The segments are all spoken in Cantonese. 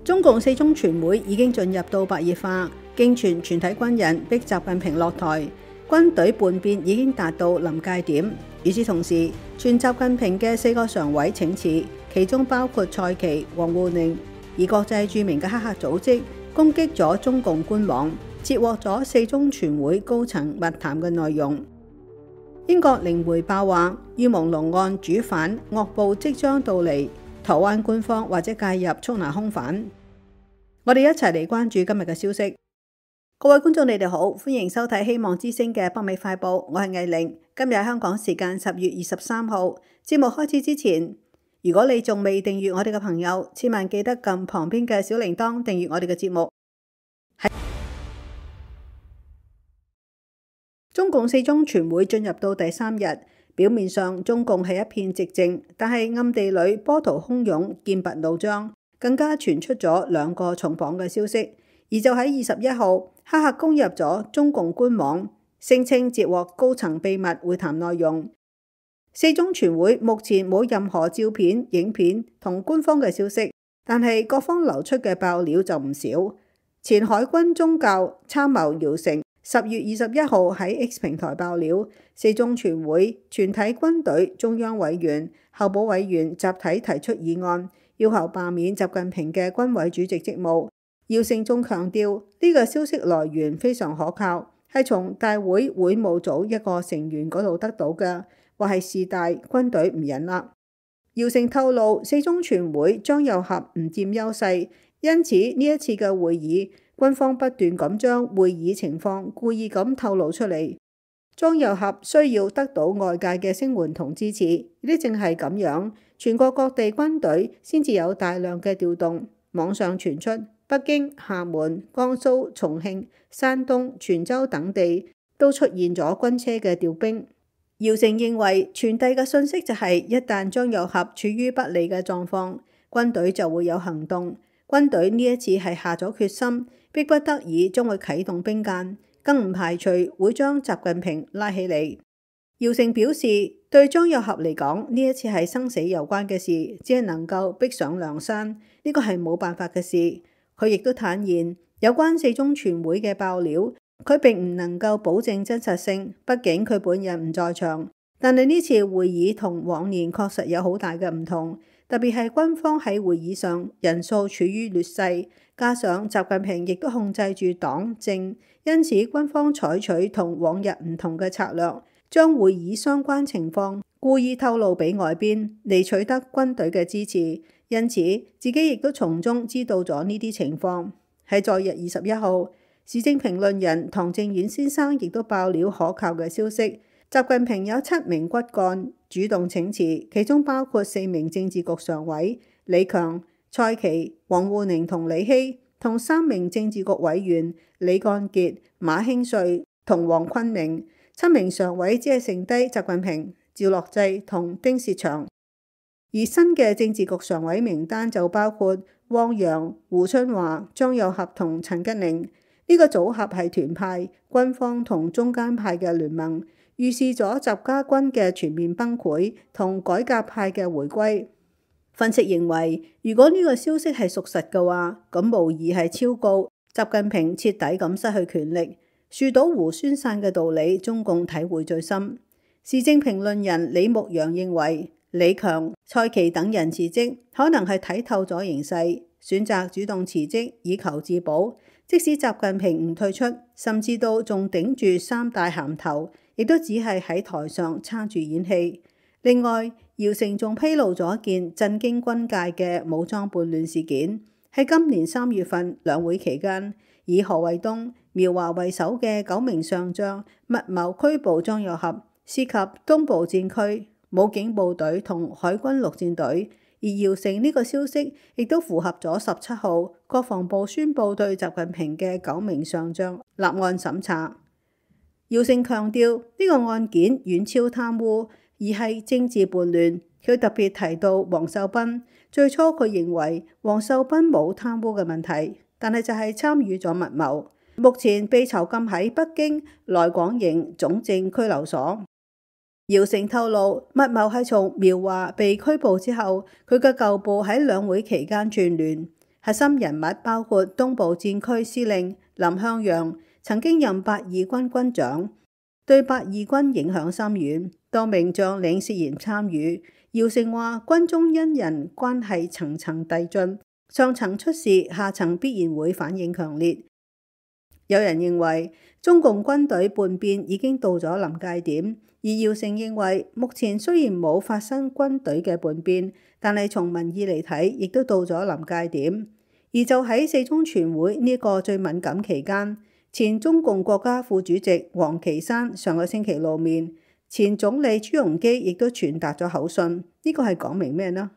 中共四中全會已經進入到白熱化，經傳全體軍人逼習近平落台，軍隊叛變已經達到臨界點。與此同時，傳習近平嘅4個常委請辭，其中包括蔡奇、王滬寧，而國際著名嘅黑客組織攻擊咗中共官網，截獲咗四中全會高層密談嘅內容。英國靈媒報話，於朦朧案主犯惡報即將到嚟，台灣官方或者介入捉拿兇犯。我哋一齊嚟關注今日嘅消息。各位觀眾，你哋好，歡迎收睇希望之聲嘅北美快報，我係藝玲。今日香港時間10月23號。節目開始之前，如果你仲未訂閱我哋嘅朋友，千萬記得撳旁邊嘅小鈴鐺訂閱我哋嘅節目。中共四中全會進入到第3日，表面上中共係一片寂靜，但係暗地裏波濤洶湧、劍拔弩張，更加傳出咗2個重磅嘅消息。而就喺21號，黑客攻入咗中共官網，聲稱截獲高層秘密會談內容。四中全會目前冇任何照片、影片同官方嘅消息，但係各方流出嘅爆料就唔少。前海軍宗教參謀姚成10月21號喺 X 平台爆料，四中全會全體軍隊中央委員、候補委員集體提出議案，要求罷免習近平嘅軍委主席職務。姚成仲強調呢個消息來源非常可靠，係從大會會務組一個成員嗰度得到嘅，話係事大軍隊唔忍啦。姚成透露，四中全會張又俠唔佔優勢，因此呢一次嘅會議，軍方不斷咁將會議情況故意咁透露出嚟。張又俠需要得到外界嘅聲援同支持，呢正係咁樣，全國各地軍隊先至有大量嘅調動。網上傳出北京、廈門、江蘇、重慶、山東、泉州等地都出現咗軍車嘅調兵。姚成認為傳遞嘅信息就係，一旦張又俠處於不利嘅狀況，軍隊就會有行動。軍隊呢一次係下咗決心，迫不得已將會啟動兵諫，更唔排除會將習近平拉起嚟。姚成表示，對張又俠嚟講，呢一次係生死攸關嘅事，只係能夠逼上梁山，呢個係冇辦法嘅事。佢亦都坦言，有關四中全會嘅爆料，佢並唔能夠保證真實性，畢竟佢本人唔在場。但係呢次會議同往年確實有好大嘅唔同，特別係軍方喺會議上人數處於劣勢，加上習近平亦都控制住黨政，因此軍方採取同往日唔同嘅策略，將會議相關情況故意透露俾外邊，嚟取得軍隊嘅支持。因此自己亦都從中知道咗呢啲情況。喺昨日21號，時政評論人唐正遠先生亦都爆料可靠嘅消息，習近平有7名骨幹主動請辭，其中包括4名政治局常委李強、蔡奇、王滬寧同李希，同3名政治局委員李幹傑、馬興瑞同黃坤明。7名常委只係剩低習近平、趙樂際同丁薛祥。而新嘅政治局常委名單就包括汪洋、胡春華、張又俠同陳吉寧。呢個組合係團派、軍方同中間派嘅聯盟，預示咗習家軍嘅全面崩潰同改革派嘅回歸。分析認為，如果呢個消息係屬實嘅話，咁無疑係超告習近平徹底咁失去權力。樹倒猢猻散嘅道理，中共體會最深。時政評論人李牧陽認為，李強、蔡奇等人辭職，可能係睇透咗形勢，選擇主動辭職以求自保。即使習近平唔退出，甚至到仲頂住3大銜頭，亦都只係喺台上撐住演戲。另外，姚成仲披露咗一件震驚軍界嘅武裝叛亂事件，喺今年3月份兩會期間，以何衛東、苗華為首嘅9名上將密謀拘捕張又俠，涉及東部戰區武警部隊同海軍陸戰隊。而姚成呢個消息亦都符合咗17號國防部宣布對習近平嘅9名上將立案審查。姚成強調呢個案件遠超貪污，而係政治叛亂。佢特別提到王秀斌，最初佢認為王秀斌冇貪污嘅問題，但係就係參與咗密謀，目前被囚禁喺北京內廣營總政拘留所。姚成透露，密謀係從苗華被拘捕之後，佢嘅舊部喺兩會期間串聯，核心人物包括東部戰區司令林向陽，曾經任八二軍軍長，對八二軍影響深遠，多名將領涉嫌參與。姚成話軍中因人關係層層遞進，上層出事，下層必然會反應強烈。有人認為中共軍隊叛變已經到咗臨界點，而姚成認為目前雖然冇發生軍隊嘅叛變，但係從民意嚟睇，亦都到咗臨界點。而就喺四中全會呢個最敏感期間，前中共國家副主席王岐山上個星期露面，前總理朱鎔基亦都傳達咗口信，呢個係講明咩呢？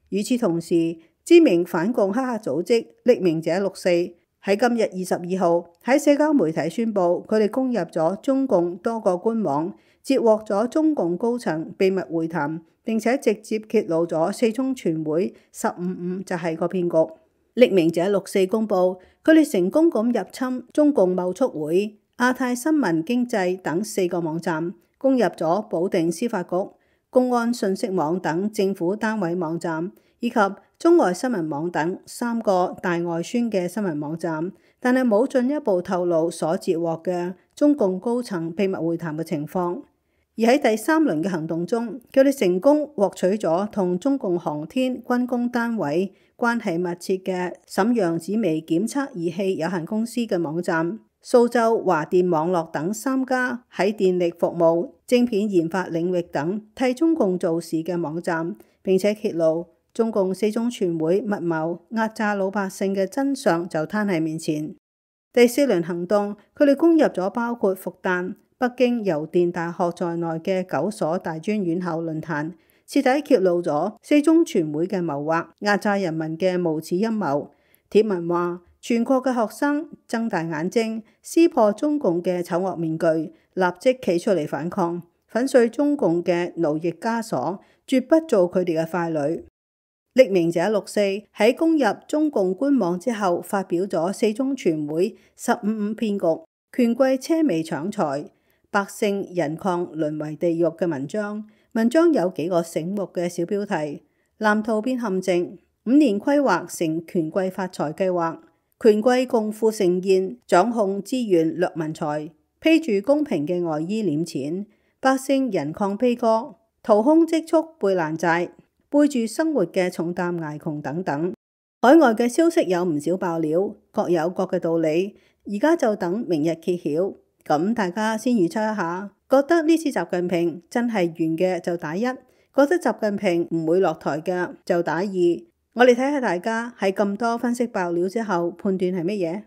與此同時，知名反共黑客組織匿名者64喺今日22號喺社交媒體宣布，佢哋攻入咗中共多個官網，截獲咗中共高層秘密會談，並且直接揭露咗四中全會15.5就係個騙局。匿名者64公布，佢哋成功咁入侵中共貿促會、亞太新聞經濟等4個網站，攻入咗保定司法局、公安信息網等政府單位網站，以及中外新聞網等3個大外宣嘅新聞網站，但係冇進一步透露所截獲嘅中共高層秘密會談嘅情況。而喺第3輪嘅行動中，佢哋成功獲取咗同中共航天軍工單位關係密切嘅瀋陽紫微檢測儀器有限公司嘅網站、蘇州華電網絡等3家喺電力服務、晶片研發領域等替中共做事嘅網站，並且揭露中共四中全會密謀壓榨老百姓嘅真相就攤喺面前。第4輪行動，佢哋攻入咗包括復旦、北京郵電大學在內嘅9所大專院校論壇，徹底揭露咗四中全會嘅謀劃，壓榨人民嘅無恥陰謀。帖文話，全國嘅學生睜大眼睛，撕破中共嘅醜惡面具，立即企出嚟反抗，粉碎中共嘅奴役枷鎖，絕不做佢哋嘅傀儡。匿名者64喺攻入中共官網之後，發表咗四中全會15.5騙局，權貴奢靡搶財，百姓人礦淪為地獄嘅文章。文章有幾個醒目嘅小標題：藍圖變陷阱，5年規劃成權貴發財計劃，權貴共富盛宴，掌控資源掠民財，披住公平嘅外衣斂錢，百姓人礦悲歌，掏空積蓄背爛債，背住生活嘅重擔捱窮等等。海外嘅消息有唔少爆料，各有各嘅道理，而家就等明日揭曉。咁大家先預測一下，覺得呢次習近平真係完嘅就打1，覺得習近平唔會落台嘅就打2。我哋睇下大家喺咁多分析爆料之後判斷係乜嘢。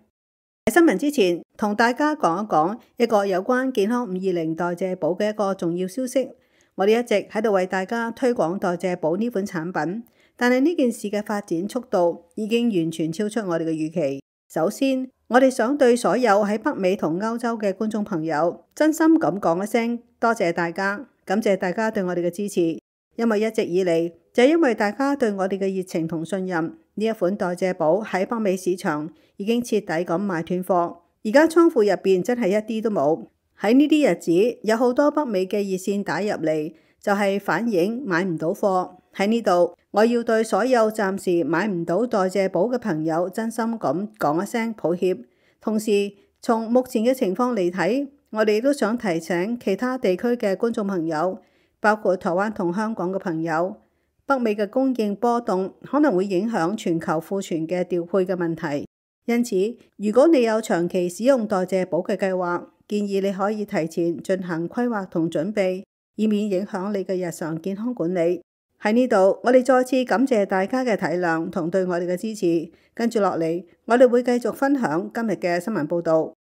喺新聞之前，同大家講一講一個有關健康520代謝寶嘅一個重要消息。我哋一直喺度為大家推廣代謝寶呢款產品，但係呢件事嘅發展速度已經完全超出我哋嘅預期。首先，我哋想對所有喺北美同歐洲嘅觀眾朋友真心咁講一聲多謝大家，感謝大家對我哋嘅支持。因為一直以嚟就係因為大家對我哋嘅熱情同信任，呢一款代謝寶喺北美市場已經徹底咁賣斷貨，而家倉庫入邊真係一啲都冇。喺呢啲日子，有好多北美嘅熱線打入嚟，就係反映買唔到貨。喺呢度，我要對所有暫時買唔到代謝寶嘅朋友真心咁講一聲抱歉。同時，從目前嘅情況嚟睇，我哋都想提醒其他地區嘅觀眾朋友，包括台灣同香港嘅朋友，北美嘅供應波動可能會影響全球庫存嘅調配嘅問題。因此，如果你有長期使用代謝寶嘅計劃，建議你可以提前進行規劃同準備，以免影響你嘅日常健康管理。喺呢度，我哋再次感謝大家嘅體諒同對我哋嘅支持。跟住落嚟，我哋會繼續分享今日嘅新聞報導。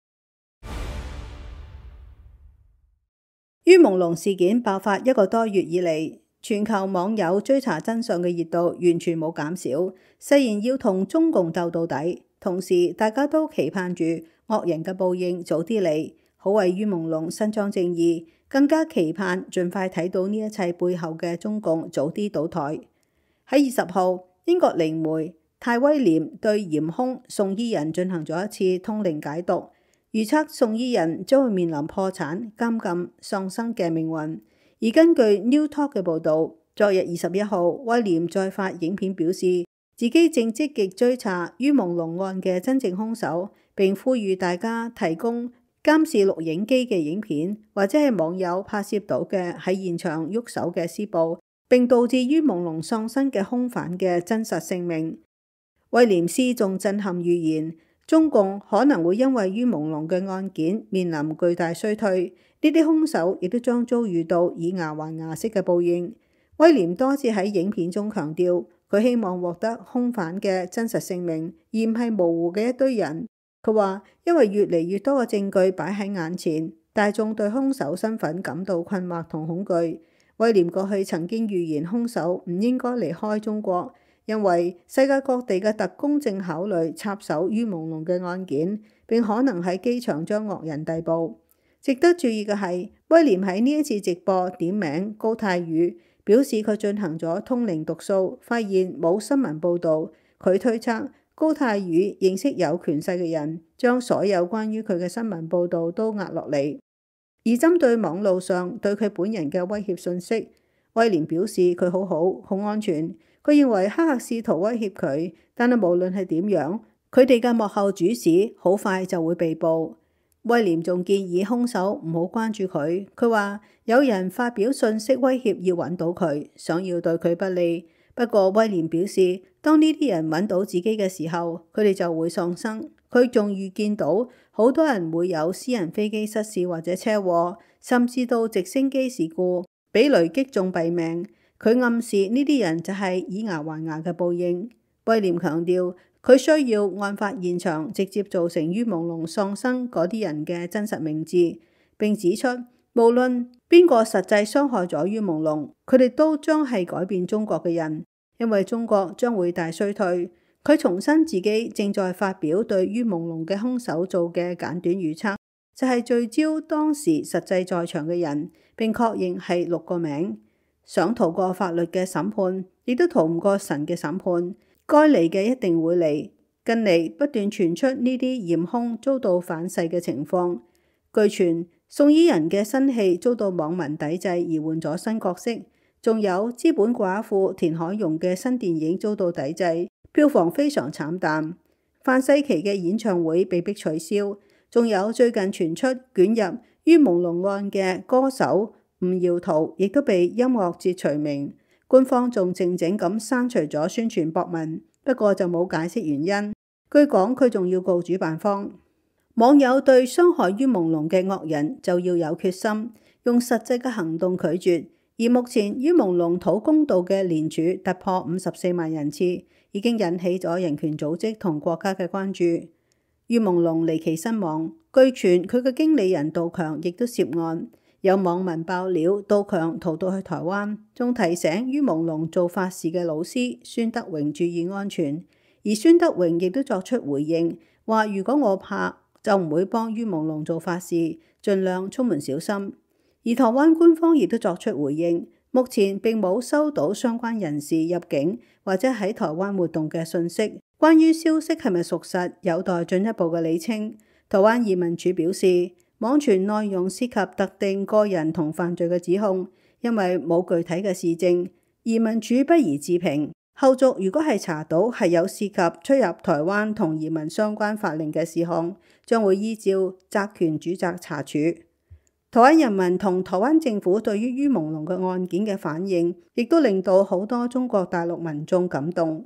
于朦朧事件爆發1個多月以嚟，全球網友追查真相嘅熱度完全冇減少，誓言要同中共鬥到底。同時，大家都期盼住惡人嘅報應早啲嚟，好為于朦朧伸張正義。更加期盼盡快睇到呢一切背後嘅中共早啲倒台。喺20號，英國靈媒泰威廉對嫌兇宋伊人進行咗一次通靈解讀，預測宋伊人將會面臨破產、監禁、喪生嘅命運。而根據 New Talk 嘅報導，昨日21號，威廉再發影片表示自己正積極追查于朦朧案嘅真正兇手，並呼籲大家提供監視錄影機嘅影片，或者係網友拍攝到嘅喺現場喐手嘅施暴，並導致于朦朧喪生嘅兇犯嘅真實姓名。威廉斯仲震撼預言，中共可能會因為于朦朧嘅案件面臨巨大衰退，呢啲兇手亦都將遭遇到以牙還牙式嘅報應。威廉多次喺影片中強調，佢希望獲得兇犯嘅真實姓名，而唔係模糊嘅一堆人。佢話，因為越嚟越多嘅證據擺喺眼前，大眾對兇手身份感到困惑同恐懼。威廉過去曾經預言兇手唔應該離開中國，因為世界各地嘅特工正考慮插手于朦朧嘅案件，並可能喺機場將惡人逮捕。值得注意嘅係，威廉喺呢一次直播點名高泰宇，表示佢進行咗通靈讀數，發現冇新聞報導。佢推測高泰宇認識有權勢嘅人，將所有關於佢嘅新聞報導都壓落嚟。而針對網路上對佢本人嘅威脅信息，威廉表示佢好安全。佢認為黑客試圖威脅佢，但係無論係點樣，佢哋嘅幕後主使好快就會被捕。威廉仲建議兇手唔好關注佢。佢話有人發表信息威脅要揾到佢，想要對佢不利。不過威廉表示，當呢啲人揾到自己嘅時候，佢哋就會喪生。佢仲預見到好多人會有私人飛機失事或者車禍，甚至到直升機事故，俾雷擊中斃命。佢暗示呢啲人就係以牙還牙嘅報應。威廉強調，佢需要案發現場直接造成于朦朧喪生嗰啲人嘅真實名字，並指出無論邊個實際傷害咗于朦朧，佢哋都將係改變中國嘅人，因為中國將會大衰退。佢重申自己正在發表對于朦朧嘅兇手做嘅簡短預測，就係聚焦當時實際在場嘅人，並確認係6個名。想逃過法律嘅審判，亦都逃唔過神嘅審判。該嚟嘅一定會嚟。近嚟不斷傳出呢啲嫌兇遭到反噬嘅情況。據傳宋伊人嘅新戲遭到網民抵制而換咗新角色，仲有資本寡婦田海蓉嘅新電影遭到抵制，票房非常慘淡。范世琦嘅演唱會被迫取消，仲有最近傳出捲入于朦朧案嘅歌手吳耀圖亦都被音樂節除名。官方仲靜靜咁刪除咗宣傳博文，不過就冇解釋原因。據講佢仲要告主辦方。網友對傷害于朦朧嘅惡人就要有決心，用實際嘅行動拒絕。而目前于朦朧討公道嘅連署突破54萬人次，已經引起咗人權組織同國家嘅關注。于朦朧離奇身亡，據傳佢嘅經理人杜強亦都涉案。有網民爆料，杜強逃到去台灣，仲提醒于朦朧做法事嘅老師孫德榮注意安全。而孫德榮亦都作出回應，話如果我怕就唔會幫于朦朧做法事，盡量出門小心。而台灣官方亦都作出回應，目前並冇收到相關人士入境或者喺台灣活動嘅訊息。關於消息係咪屬實，有待進一步嘅理清。台灣移民署表示，網傳內容涉及特定個人同犯罪嘅指控，因為冇具體嘅事證，移民署不宜置評。後續如果係查到係有涉及出入台灣同移民相關法令嘅事項，將會依照責權主責查處。台灣人民同台灣政府對於于朦朧嘅案件嘅反應，亦都令到好多中國大陸民眾感動。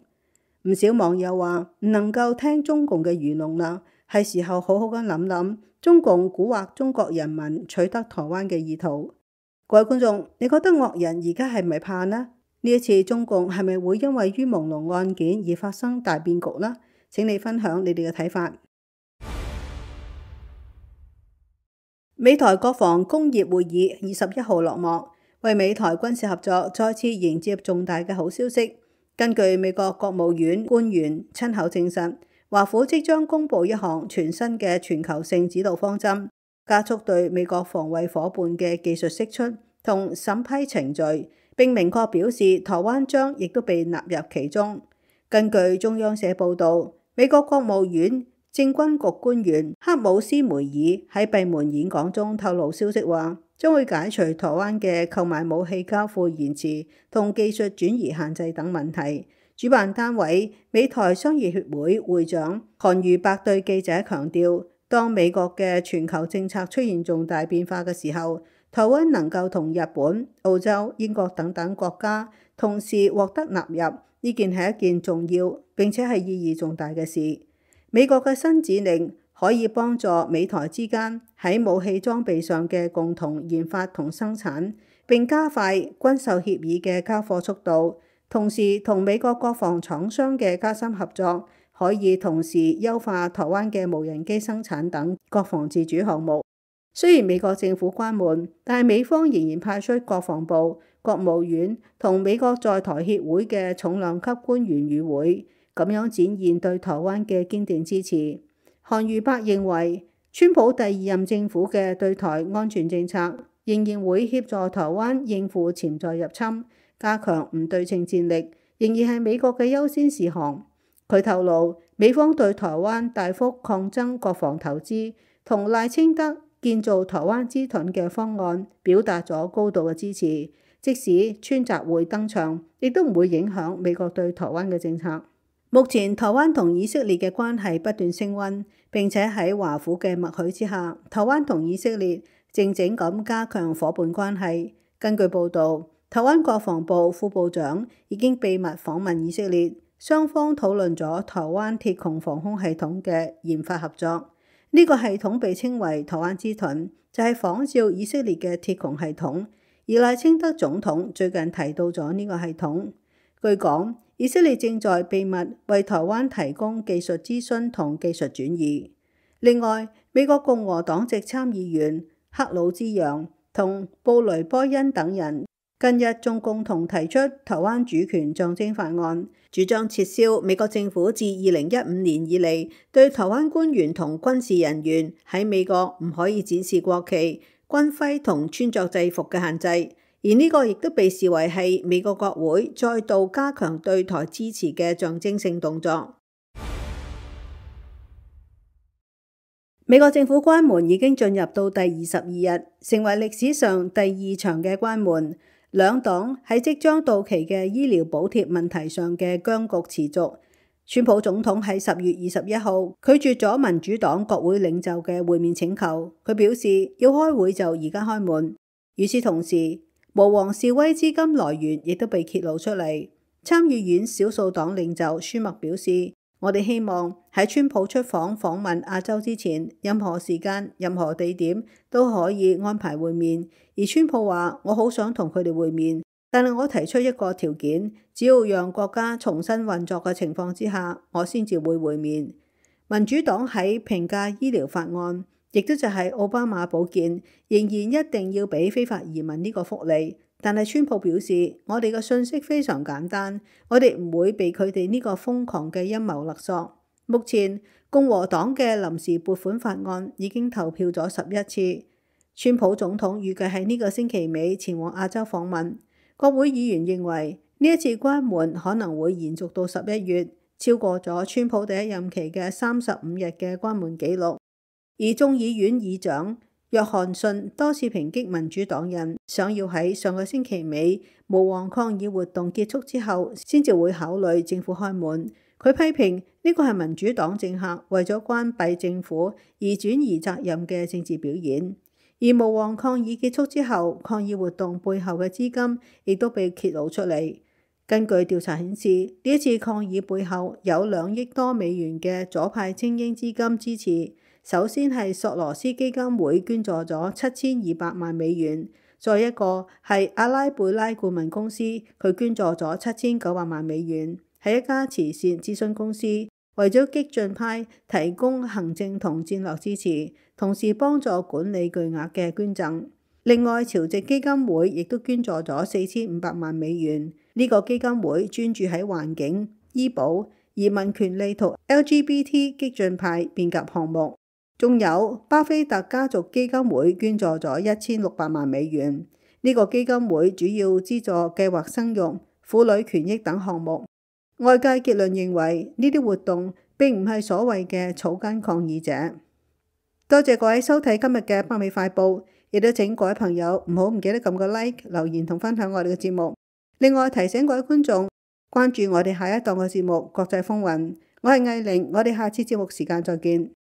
唔少網友話唔能夠聽中共嘅愚弄啦，係時候好好咁諗諗中共蠱惑中國人民取得台灣嘅意圖。各位觀眾，你覺得惡人而家係咪怕呢？呢一次中共係咪會因為于朦朧案件而發生大變局呢？請你分享你哋嘅睇法。美台國防工業會議21號落幕，為美台軍事合作再次迎接重大嘅好消息。根據美國國務院官員親口證實，華府即將公布一項全新嘅全球性指導方針，加速對美國防衛夥伴嘅技術釋出同審批程序，並明確表示台灣將亦都被納入其中。根據中央社報導，美國國務院政軍局官員克姆斯梅爾喺閉門演講中透露消息話，將會解除台灣嘅購買武器交付延遲同技術轉移限制等問題，主辦單位美台商業協會會長韓如伯對記者強調，當美國嘅全球政策出現重大變化嘅時候，台灣能夠同日本、澳洲、英國等等國家同時獲得納入，呢件係一件重要並且係意義重大嘅事。美國嘅新指令可以幫助美台之間喺武器裝備上嘅共同研發同生產，並加快軍售協議嘅交貨速度。同時，同美國國防廠商嘅加深合作，可以同時優化台灣嘅無人機生產等國防自主項目。雖然美國政府關門，但係美方仍然派出國防部、國務院同美國在台協會嘅重量級官員與會，咁樣展現對台灣嘅堅定支持。韓如伯認為，川普第二任政府嘅對台安全政策仍然會協助台灣應付潛在入侵，加強唔對稱戰力，仍然係美國嘅優先事項。佢透露，美方對台灣大幅擴增國防投資同賴清德建造台灣之盾嘅方案表達咗高度嘅支持，即使川習會登場，亦都唔會影響美國對台灣嘅政策。目前台灣同以色列嘅關係不斷升溫，並且喺華府嘅默許之下，台灣同以色列靜靜咁加強夥伴關係。根據報導，台灣國防部副部長已經秘密訪問以色列，雙方討論咗台灣鐵穹防空系統嘅研發合作。呢個系統被稱為台灣之盾，就係仿照以色列嘅鐵穹系統。而賴清德總統最近提到咗呢個系統。據講，以色列正在秘密為台灣提供技術諮詢同技術轉移。另外，美國共和黨籍參議員克魯茲揚同布雷波恩等人近日仲共同提出台灣主權象徵法案，主張撤銷美國政府自2015年以嚟對台灣官員同軍事人員喺美國唔可以展示國旗、軍徽同穿着制服嘅限制。而呢個亦都被視為係美國國會再度加強對台支持嘅象徵性動作。美國政府關門已經進入到第22日，成為歷史上第2場嘅關門。兩黨喺即將到期嘅醫療補貼問題上嘅僵局持續。川普總統喺10月21號拒絕咗民主黨國會領袖嘅會面請求，佢表示要開會就而家開門。與此同時，巫王示威資金來源亦都被揭露出嚟。參議院少數黨領袖舒默表示，我哋希望喺川普出訪問亞洲之前，任何時間、任何地點都可以安排會面。而川普話，我好想同佢哋會面，但係我提出一個條件，只要讓國家重新運作嘅情況之下，我先至會面。民主黨喺評價醫療法案，亦都就係奧巴馬保健，仍然一定要俾非法移民呢個福利。但係川普表示，我哋嘅信息非常簡單，我哋唔會被佢哋呢個瘋狂嘅陰謀勒索。目前共和黨嘅臨時撥款法案已經投票咗11次。川普總統預計喺呢個星期尾前往亞洲訪問。國會議員認為呢一次關門可能會延續到11月，超過咗川普第一任期嘅35日嘅關門紀錄。而眾議院議長約翰遜多次抨擊民主黨人，想要喺上個星期尾巫王抗議活動結束之後，先至會考慮政府開門。佢批評呢個係民主黨政客為咗關閉政府而轉移責任嘅政治表演。而巫王抗議結束之後，抗議活動背後嘅資金亦都被揭露出嚟。根據調查顯示，呢一次抗議背後有2億多美元嘅左派精英資金支持。首先係索羅斯基金會捐助咗7200萬美元，再一個係阿拉貝拉顧問公司，佢捐助咗7900萬美元，係一家慈善諮詢公司，為咗激進派提供行政同戰略支持，同時幫助管理巨額嘅捐贈。另外，潮籍基金會亦都捐助咗4500萬美元，呢個基金會專注喺環境、醫保、移民權利同 LGBT 激進派變革項目。仲有巴菲特家族基金會捐助咗1600萬美元，呢個基金會主要資助計劃生育、婦女權益等項目。外界結論認為呢啲活動並唔係所謂嘅草根抗議者。多謝各位收睇今日嘅北美快報，亦都請各位朋友唔記得撳個 like、留言同分享我哋嘅節目。另外提醒各位觀眾，關注我哋下一檔嘅節目《國際風雲》。我係藝玲，我哋下次節目時間再見。